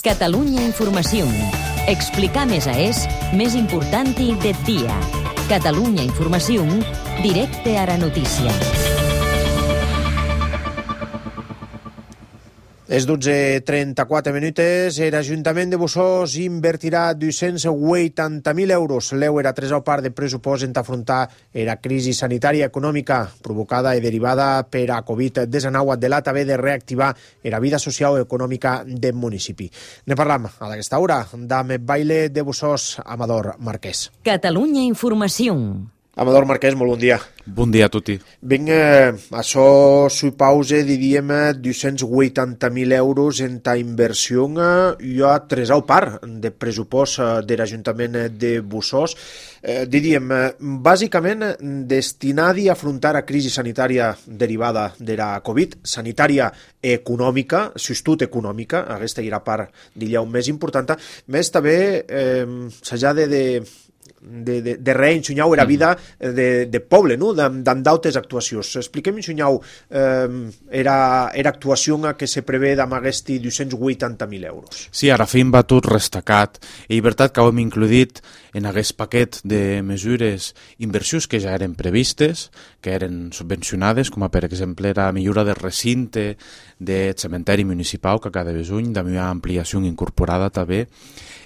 Catalunya Informació. Explicar més més important del dia. Catalunya Informació, directe a la notícia. És 12:34 minuts. L'Ajuntament de Bossòst invertirà 280.000 euros. L'EUR a 3 part de pressupost en afrontar la crisi sanitària econòmica provocada i derivada per a Covid-19 de l'ATB de reactivar la vida social i econòmica del municipi. Ne parlam a aquesta hora amb baile de Bossòst, Amador Marquès. Catalunya Informació. Amador Marquès, molt bon dia. Bon dia a tutti. Vinga, això supausa, diríem, 280.000 euros en ta inversió i a 3 part de pressupost de l'Ajuntament de Bossòst. Diríem, bàsicament destinat a afrontar la crisi sanitària derivada de la Covid, sanitària econòmica, sostut econòmica, aquesta era part, diríem, més important, més també s'ha de reensenyar la vida de poble, no? D'en d'altres actuacions. Expliquem, ensenyau, era actuació que se prevé amb aquests 280.000 euros. Sí, ara fin va tot restacat. I veritat que ho hem includit en aquest paquet de mesures, inversions que ja eren previstes, que eren subvencionades, com per exemple la millora del recinte del cementeri municipal que cada besuny, de una ampliació incorporada també,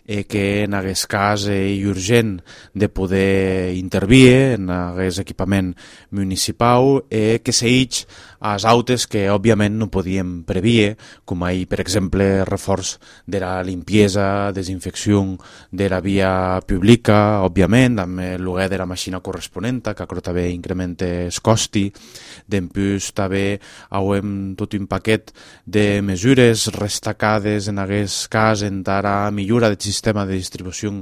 que en aquest cas és urgent de poder intervir en aquest equipament municipal, que segueix als autes que òbviament no podíem prever, com per exemple reforç de la limpiesa, desinfecció de la via pública, òbviament, amb el lloguer de la màquina corresponent, que això també incrementa el costi. Després també hem tot un paquet de mesures restacades en aquest cas en la millora del sistema de distribució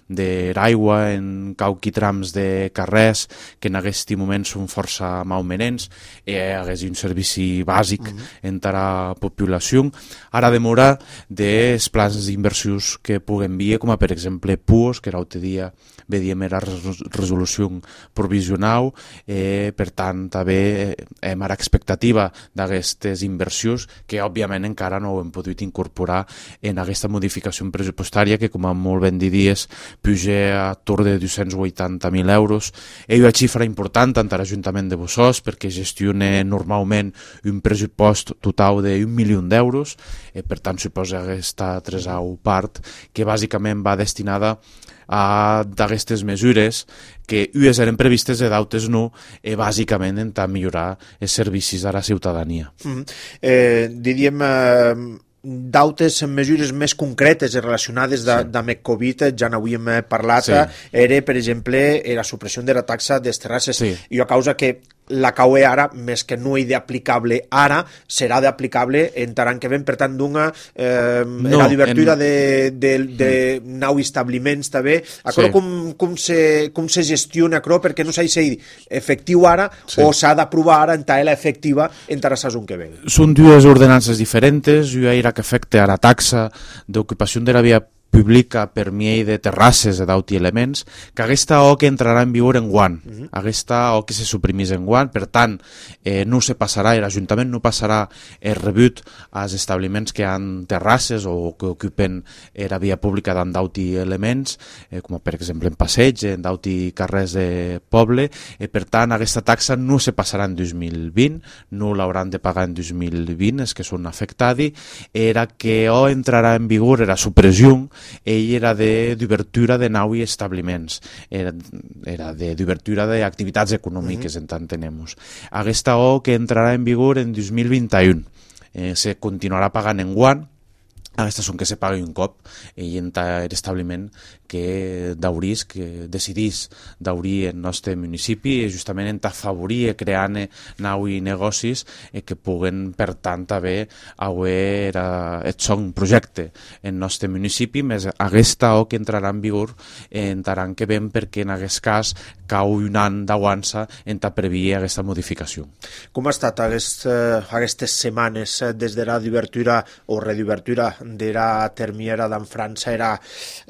de l'aigua en cauqui trams de carrers que en aquest moment són força malmenents, és un servici bàsic entre la població. Ara demora dels plans d'inversions que puguem dir, com per exemple PUOS, que l'altre dia vedíem la resolució provisional, per tant també hem a l'expectativa d'aquestes inversions que òbviament encara no ho hem pogut incorporar en aquesta modificació pressupostària que, com molt ben diries, puja a torn de 280.000 euros. És una xifra important tant a l'Ajuntament de Bossòst perquè gestiona normalment un pressupost total d'1 milió d'euros, per tant suposa aquesta tercera part que bàsicament va destinada a d'aquestes mesures que unes eren previstes i d'altres no, bàsicament en millorar els servicis a la ciutadania. Diríem d'altres mesures més concretes relacionades amb el Covid, ja n'havíem parlat, era, per exemple, la supressió de la taxa de les terrasses, i a causa que la CAUE ara, més que no és d'aplicable ara, serà d'aplicable en l'any que ven, per tant, la d'obertura de nou establiments també. Com se gestiona això perquè no s'ha de ser efectiu ara o s'ha d'aprovar ara en taela efectiva en la saison que ve? Són dues ordenances diferents, una era que afecta a la taxa d'ocupació de la via pública per mi de terrasses d'altres elements, que aquesta o que entrarà en vigor en guany, aquesta o que se suprimís en guany, per tant, no se passarà, l'Ajuntament no passarà el rebut als establiments que han terrasses o que ocupen la via pública d'altres elements, com per exemple en passeig, en d'altres carrers de poble, per tant, aquesta taxa no se passarà en 2020, no l'hauran de pagar en 2020, els que són afectats, era que o entrarà en vigor la supressió era d'obertura de nous establiments, era d'obertura d'activitats econòmiques, en tant tenemos. Aquesta o que entrarà en vigor en 2021, se continuarà pagant en guany. Aquestes són que se pagui un cop i en l'establiment que d'aurís, que decidís d'obrir el nostre municipi justament en afavorir creant nous negocis que puguen per tant haver el son projecte en el nostre municipi, més aquesta o que entrarà en vigor en l'any que ven perquè en aquest cas cau un any d'aguança en previa aquesta modificació. Com ha estat aquestes setmanes des de la d'obertura o reobertura de la termiera d'en França? Era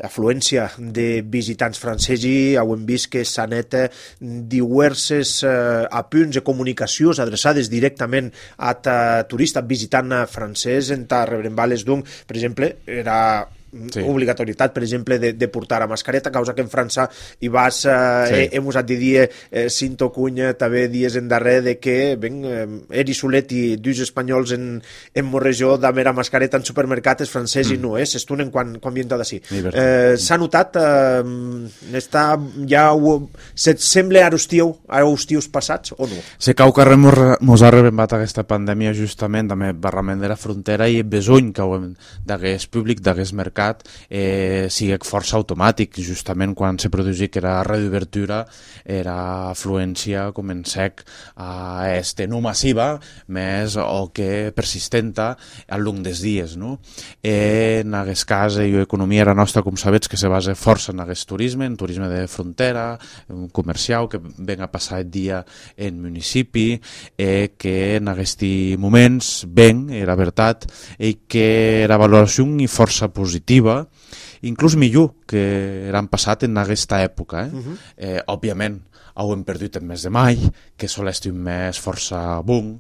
afluència de visitants francesos, hem vist que s'han net diverses apunts de comunicacions adreçades directament a turistes visitant francès en Rebrembales, doncs, per exemple, era obligatorietat, per exemple, de portar a mascareta, causa que en França hi vas, hem usat de dir Cinto Cunya també dies en darrer de que eri solet i dus espanyols en Morregió d'haver a mascareta en supermercats francès i no, s'estunen quan vienen d'ací. S'ha notat se't sembla a estius passats o no? Se cau que mos ha rebembat aquesta pandèmia justament també barrament de la frontera i besony que d'hagués públic, d'hagués mercat sigui força automàtic, justament quan se produïa que era reobertura, era afluència com en sec a no massiva, més o que persistenta al llarg dels dies. En aquest cas, l'economia era nostra, com sabets, que se basa força en aquest turisme, en turisme de frontera, comercial, que ven a passar el dia en municipi, que en aquests moments ven, era veritat, i que era valoració i força positiva, inclús millor que eren passat en aquesta època. Òbviament, ho hem perdut en mes de maig, que sol estar un mes força boom,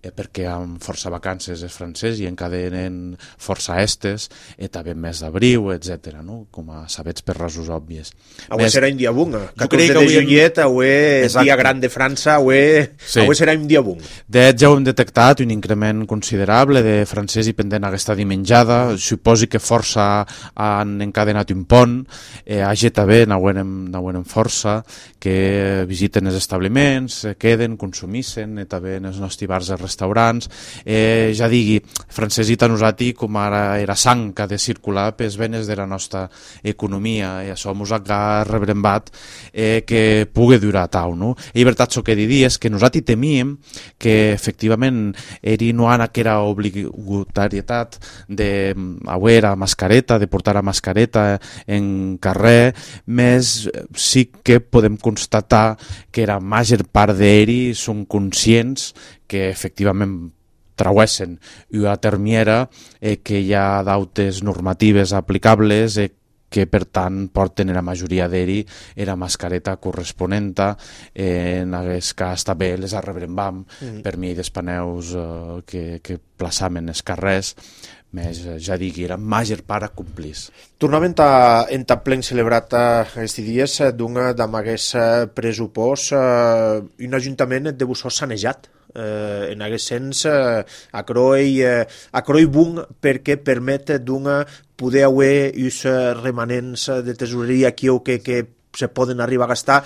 perquè amb força vacances els francesos i encadenen força estes, també en mes d'abril, etc. Com a sabets per rasos òbvies. Avui serà un dia boom, 14 de juillet, avui és dia gran de França, avui serà un dia boom. De fet, ja ho hem detectat, un increment considerable de francès i pendent aquesta dimenjada, suposi que força han encadenat un pont, a també n'haurem força, que visiten els establiments, queden, consumissen, també en els nostres bars i restaurants. Ja digui, francesita nosaltres com ara era sang que ha de circular per les venes de la nostra economia, i això ens ha rebrembat que pugui durar tau. I veritat, el que diria és que nosaltres temíem que efectivament no ha aquella obligatorietat de a mascareta, de portar a mascareta en carrer, més sí que podem constatar que la major part d'ells són conscients que efectivament trauessen una termiera, que hi ha dautes normatives aplicables, que per tant porten la majoria d'ells la mascareta corresponenta, en aquest cas també les arrebrembam per mi d'espaneus que plaçamen els carrers, més ja digui, era major part a complir. Tornament en plen celebrat aquests dies amb aquest pressupost, un ajuntament de Bussos sanejat. En aquest sens, acroi bon perquè permet poder haver uns remanents de tesoreria aquí o que se poden arribar a gastar.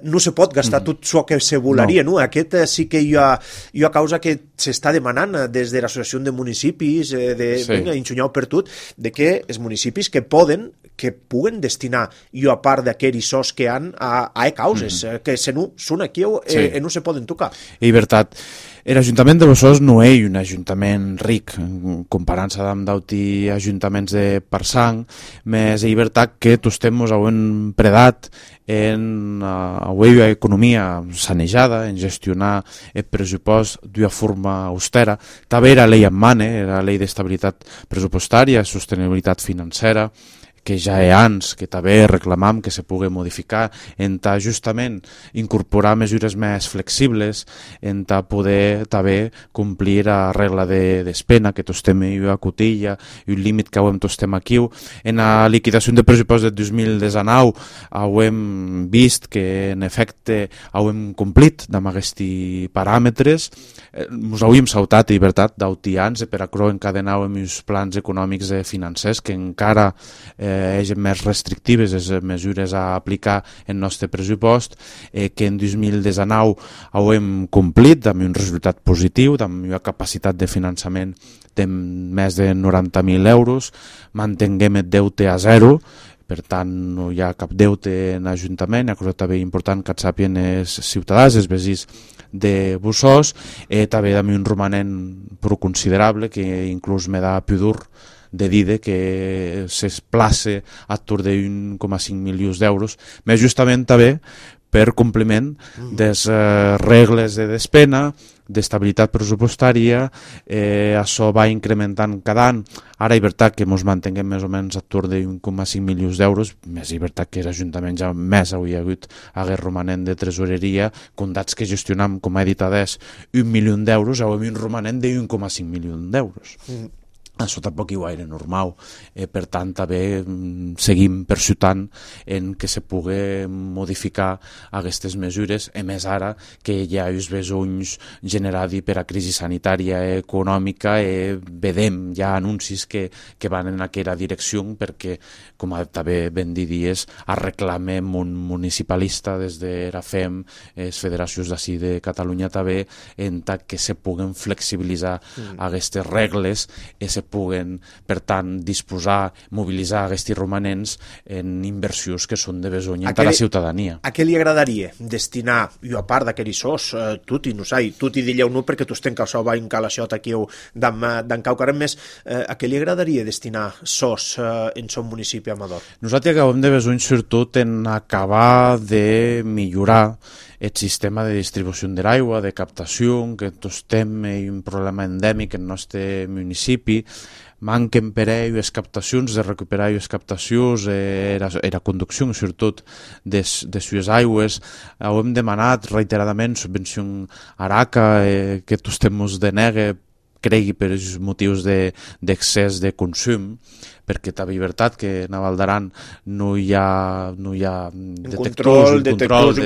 No se pot gastar tot això que se volaria. Aquest sí que hi ha causa que s'està demanant des de l'associació de municipis, enxunyau per tot, de que els municipis que puguen destinar a part d'aquells sos que han a causes, que se no són aquí i no se poden tocar. I veritat, l'Ajuntament de Bussos no és un ajuntament ric, comparant-se amb d'altres ajuntaments de Parsang, més és veritat que tots temps hem predat en una economia sanejada, en gestionar el pressupost d'una forma austera. També era llei en mane, era llei d'estabilitat pressupostària, sostenibilitat financera, que ja hi ha anys que també reclamam que se pugui modificar, en justament incorporar mesures més flexibles, en poder també complir la regla de despena, que tots estem a cotilla, i un límit que tots estem aquí. En la liquidació de pressupost del 2019 hem vist que en efecte hem complit amb aquests paràmetres. Ens hauríem saltat, i veritat, d'altians per acro encadenar amb els plans econòmics i financers que encara eren més restrictives les mesures a aplicar en nostre pressupost, que en 2019 hem complit amb un resultat positiu, amb una capacitat de finançament de més de 90.000 euros, mantenguem el deute a zero, per tant no hi ha cap deute en l'Ajuntament. Una cosa també important que et sàpien els ciutadans, els veïns de Bussos, també amb un romanent prou considerable que inclús me da pudor de dir que s'esplace a tour de 1,5 milions d'euros, més justament també per compliment des regles de despena, d'estabilitat pressupostària, això va incrementant cada any. Ara és veritat que ens mantinguem més o menys a torn de 1,5 milions d'euros, més és veritat que l'Ajuntament ja més hauria hagut hagués romanent de tresoreria, comptats que gestionam, com ha dit Adés, 1 milió d'euros, hauríem un romanent de 1,5 milions d'euros. Això tampoc hi gaire normal, per tant també seguim persutant en que se pugui modificar aquestes mesures, a més ara que hi ha els besonys generats per a crisi sanitària i econòmica, vedem ja anuncis que van en aquella direcció, perquè, com també ben dit dies, reclamem un municipalista des de la FEM, les federacions d'ací de Catalunya també, en tant que se puguen flexibilitzar aquestes regles i se puguen, per tant, disposar, mobilitzar aquests romanents en inversions que són de besony per a la ciutadania. A què li agradaria destinar, i a part d'aquells sos, tutti, no sai, tutti dilleu no perquè tu estem que això va en calaixot aquí d'en caucarem més, a què li agradaria destinar sos en son municipi Amador? Nosaltres acabem de besony sobretot en acabar de millorar el sistema de distribució de l'aigua, de captació, que tots tenim un problema endèmic en el nostre municipi, manquen per ell les captacions, de recuperar les captacions, la conducció, sobretot, de les aigües. Hem demanat reiteradament subvenció a ARACA, que tots temps denega, cregui per els motius d'excés de consum, perquè també és veritat que a Val d'Aran no hi ha detectors de comptadors de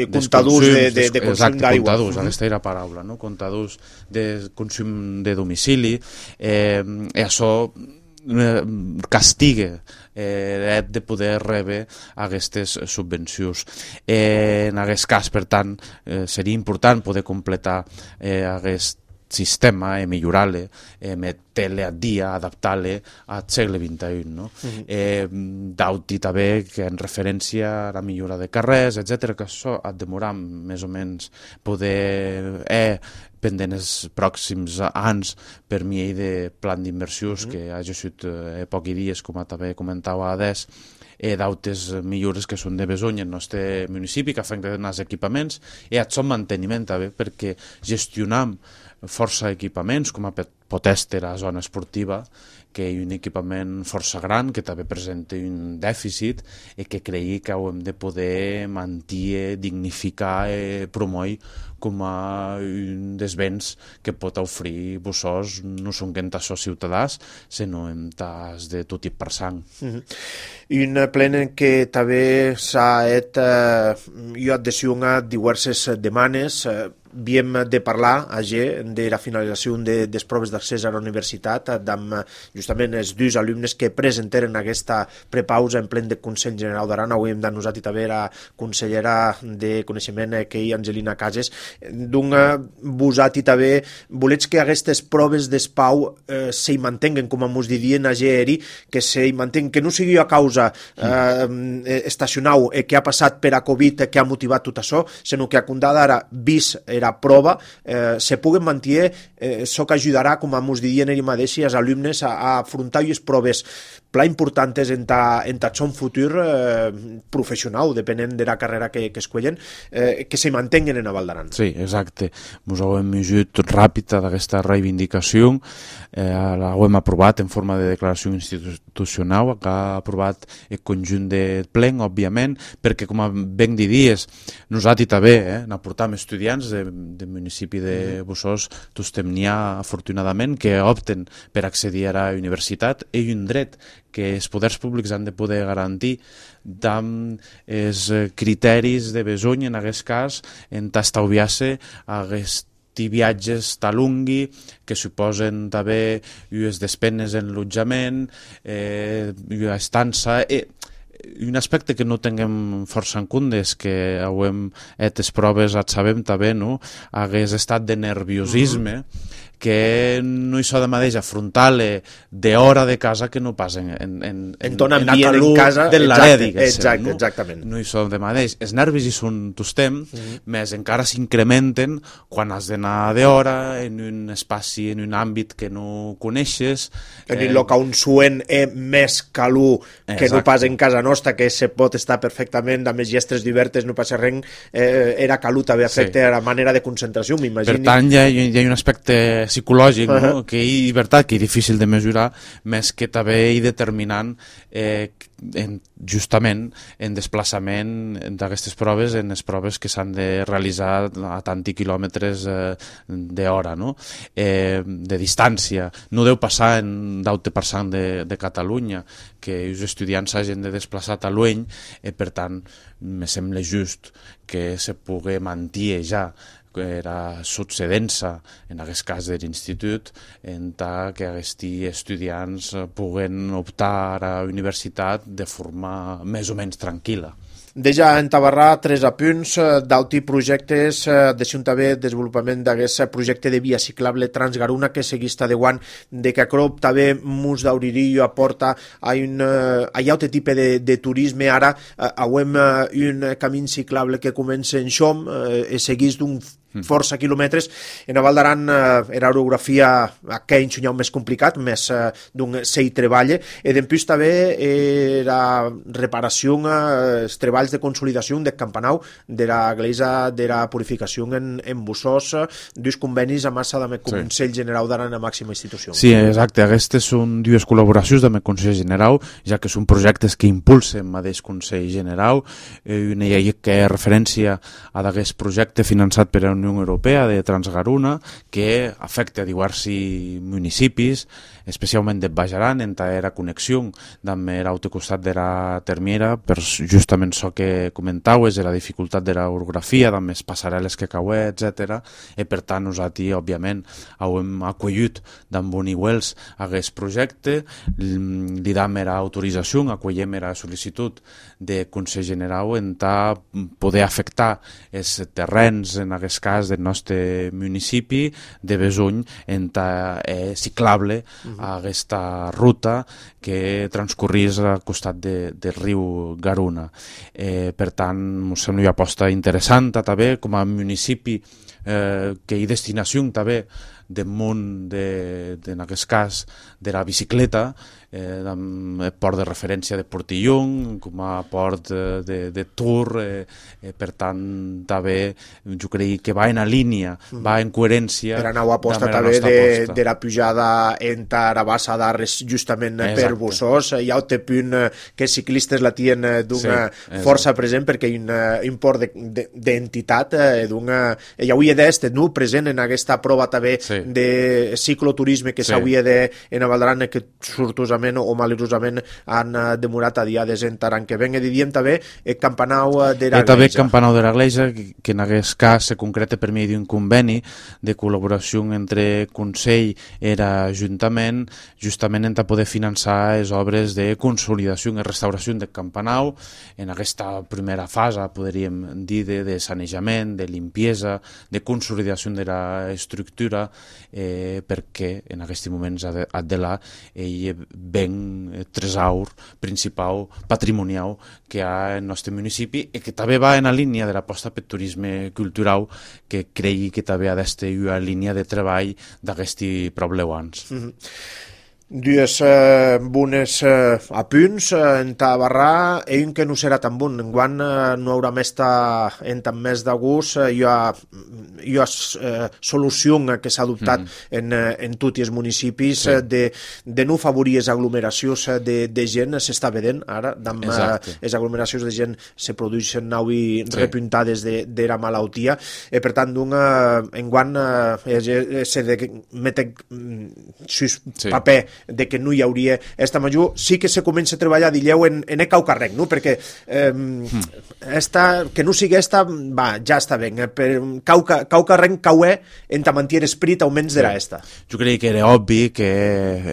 consum d'aigua. Comptadors, aquesta era la paraula, no? Comptadors de consum de domicili, i això castiga el de poder rebre aquestes subvencions. En aquest cas, per tant, seria important poder completar aquest sistema, millorar-lo, metre-lo a dia, adaptar-lo al segle XXI. No? D'auti també que en referència a la millora de carrers, etc., que això ha de demorar més o menys poder pendent els pròxims anys per mi de plan d'inversions que ha gesut pocs dies, com també comentava Adés, d'altres millores que són de besony en el nostre municipi, que afecten els equipaments, i el seu manteniment també, perquè gestionam força equipaments, com a pot estar a la zona esportiva, que és un equipament força gran, que també presenta un dèficit i que cregui que hem de poder mantenir, dignificar i promoure com a un dels béns que pot oferir Bussos, no són que en tas ciutadans, sinó en tas de tot i per sang. Un plen en què també s'ha adhesionat diverses demanes. Havíem de parlar de la finalització de les proves d'accés a la universitat amb justament els dos alumnes que presenteren aquesta prepausa en plen de Consell General d'Aran. Avui hem denunciat també la consellera de Coneixement, que és Angelina Cases, d'un busat i també volets que aquestes proves d'espau s'hi mantenguen, com ens didien a GERI, que s'hi mantenguen, que no sigui a causa estacional que ha passat per a Covid, que ha motivat tot això, sinó que a condada ara vist era prova, se puguen mantenir, això que ajudarà, com ens didien ells mateixos, els alumnes a afrontar les proves pla importantes en son futur professional, depenent de la carrera que escollen, que se mantenguen en Val d'Aran. Sí, exacte. Ens ho hem ajut ràpida d'aquesta reivindicació, l'hem aprovat en forma de declaració institucional, que ha aprovat el conjunt de plen, òbviament, perquè, com ben diries, nosaltres també n'aportam estudiants del municipi de Bussos, tots n'hi ha, afortunadament, que opten per accedir a la universitat, i un dret que els poders públics han de poder garantir amb els criteris de besony, en aquest cas, en estalviar-se aquests viatges talungui, que suposen també les despenes en l'allotjament, estança, un aspecte que no tinguem força en compte és que les proves et sabem també, no? Hagués estat de nerviosisme, que no hi so de mateix afrontar-le d'hora de casa que no pas en ton ambient en casa, del larer, diguéssim. Exactament. No hi so de mateix. Els nervis hi són tostem, més encara s'incrementen quan has d'anar d'hora en un espaci, en un àmbit que no coneixes. En un lloc on suen més calor que no pas en casa nostra, que se pot estar perfectament amb les gestres divertes, no passa res, era calor també afecta a la manera de concentració, m'imagino. Per tant, hi ha un aspecte psicològic, no? Que és veritat que és difícil de mesurar, més que també i determinant justament en desplaçament d'aquestes proves, en les proves que s'han de realitzar a tanti quilòmetres d'hora, no? De distància. No deu passar en 10% de Catalunya, que els estudiants s'hagin de desplaçar a Lueny, per tant, me sembla just que se pugui mantenir ja que era succedent-se en aquest cas de l'institut, en tant que aquests estudiants puguen optar a la universitat de forma més o menys tranquil·la. Deja entabarrar 3 apunts d'altres projectes, deixem també desenvolupament d'aquest projecte de via ciclable Transgaruna que seguís tadeuant de que Acrop també mus d'Auririllo aporta a un altre tipus de turisme. Ara avem un camí ciclable que comença en Xom, seguís d'un força quilòmetres. En a Val d'Aran era orografia aquell enxunyau més complicat, més d'un sei treball, i d'empús també era reparació, els treballs de consolidació del campanau de la iglesia de la purificació en Bussós, dos convenis a massa amb el Consell General d'Aran a màxima institució. Sí, exacte, aquestes són dues col·laboracions amb el Consell General, ja que són projectes que impulsen el mateix Consell General, una llei que és referència a aquest projecte finançat per la Unió Europea de Transgaruna, que afecta a diversos municipis, especialment de Baix Aran, en la connexió amb l'altre costat de la Termiera, per justament això que comentaues, de la dificultat de l'orografia, amb les passarel·les que caué, etc. I per tant, nosaltres, òbviament, hem acollit d'en Boniuels aquest projecte, li dam la autorització, acollem la sol·licitud de Consell General en poder afectar els terrenys, en aquest cas del nostre municipi de Besuny, en ciclable a aquesta ruta que transcorrís al costat del riu Garuna. Per tant, ens sembla una aposta interessant també com a municipi que hi destinació també del món, en aquest cas, de la bicicleta, amb el port de referència de Portillon, com a port de Tour, per tant, també, jo crec que va en línia, va en coherència. Per anar a aposta també de la pujada entre Arabassa d'Arres justament per Bussós. Hi ha un punt que els ciclistes la tenen d'una força present perquè hi ha un port d'entitat, hi hauria d'estar present en aquesta prova també de cicloturisme que s'hauria en Val d'Aran, que sortosament o malurosament han demorat a diades en Taran, que venga diem també el campanau de la Gleisa. També el campanau de la Gleisa, que en aquest cas se concreta per mitjà d'un conveni de col·laboració entre Consell i l'Ajuntament, justament en poder finançar les obres de consolidació i restauració del campanau en aquesta primera fase, podríem dir, de sanejament, de limpiesa, de consolidació de l'estructura, perquè en aquests moments Adela ell ben tresor principal, patrimonial que hi ha en el nostre municipi i que també va en la línia de l'aposta per turisme cultural, que cregui que també ha d'estar una línia de treball d'aquests probleuans. Dues bones apunts en Tabarrà, un que no serà tan bon, enguany no haurà més en tan més d'agost. Hi ha solució que s'ha adoptat en tots els municipis de no favorir les aglomeracions de gent. S'està vedent ara, amb les aglomeracions de gent se produeixen avui repuntades de la malaltia, per tant enguany se meten sus paper de que no hi hauria esta major, sí que se comença a treballar, dilleu, en caucarrec, no? Perquè que no sigui esta, va, ja està bé, caucarrec cauè en mantenir esprit augments d'era esta. Jo crec que era obvi que,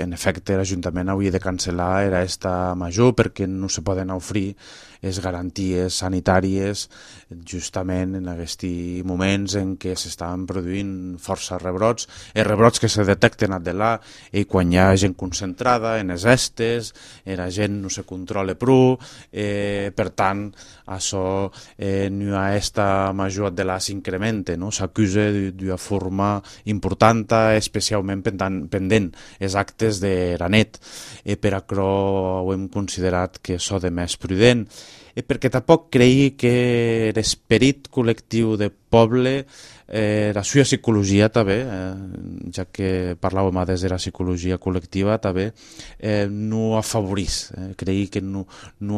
en efecte, l'Ajuntament hauria de cancel·lar era esta major perquè no se poden oferir les garanties sanitàries justament en aquests moments en què s'estaven produint força rebrots, rebrots que se detecten a delà i quan hi ha gent concentrada en les estes, la gent no se controla prou, per tant, això no hi ha esta major de la s'incrementa, no? S'acusa d'una forma important, especialment pendent els actes de la net. Per això ho hem considerat que això de més prudent, perquè tampoc creia que l'esperit col·lectiu de poble, la seva psicologia també, ja que parlàvem des de la psicologia col·lectiva també, no afavorís. Creia que no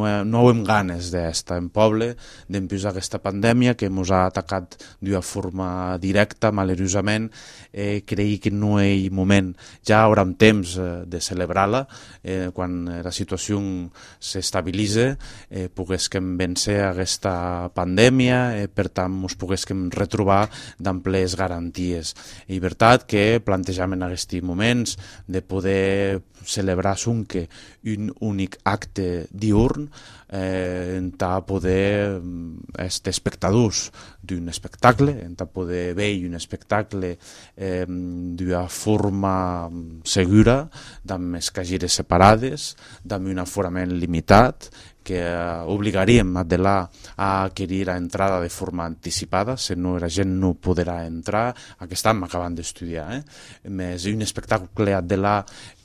hem ganes d'estar en poble, d'empiusar aquesta pandèmia que ens ha atacat d'una forma directa, malerosament. Creia que no hi ha moment, ja haurà temps de celebrar-la, quan la situació s'estabilitza, poguéssim vèncer aquesta pandèmia, per tant, ens poguéssim retrobar d'amples garanties. I veritat que plantejam en aquests moments de poder celebrar sonque un únic acte diurn, en poder estar espectadors d'un espectacle, en poder veure un espectacle d'una forma segura, amb les caixeres separades, amb un aforament limitat, que obligaríem a adquirir la entrada de forma anticipada, si no la gent no podrà entrar. Aquest any m'acaben d'estudiar, més un espectacle a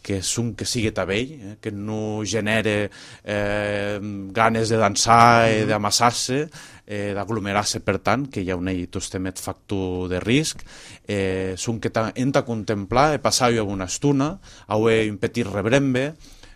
que sigui tabell, que no genere ganes de dansar i d'amassar-se, d'aglomerar-se, per tant, que hi ha un tostemet factor de risc, que hem de contemplar, passar-hi una estona, un petit rebrembe,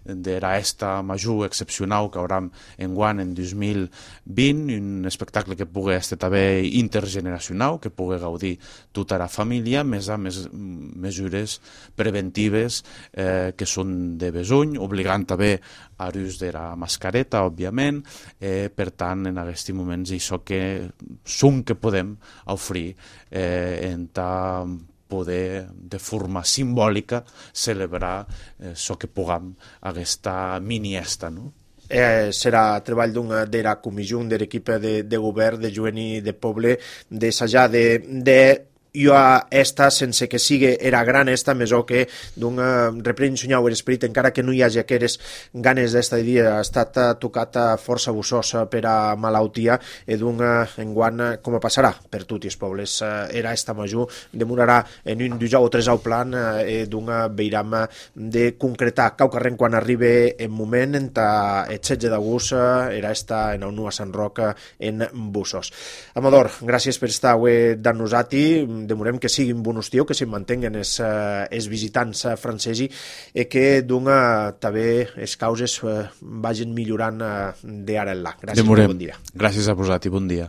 d'era esta major excepcional que haurem enguany en 2020, un espectacle que pugui estar també intergeneracional, que pugui gaudir tota la família, més a més mesures preventives que són de besuny, obligant també a l'ús de la mascareta, òbviament. Per tant, en aquests moments, això que som que podem oferir en poder de forma simbòlica celebrar això que puguem aquesta mini-esta, no? Serà treball de la comissió de l'equip de govern de Jovent i de Poble d'assajar de jo esta, sense que sigui era gran esta, més o que reprendre l'esperit, encara que no hi hagi aquelles ganes d'esta dia, ha estat tocat força bussós per a malaltia, enguany, com passarà per tots els pobles, era esta major, demorarà en un 2 o 3 plan, veiram de concretar caucarrent quan arribi en moment, el 16 d'agost, era esta en el Nu a Sant Roc en Bussos. Amador, gràcies per estar avui amb nosaltres, demorem que siguin bon estiu, que se'n mantenguen els visitants francesos i que també les causes vagin millorant d'ara en là. Gràcies, bon dia. Gràcies a vosaltres i bon dia.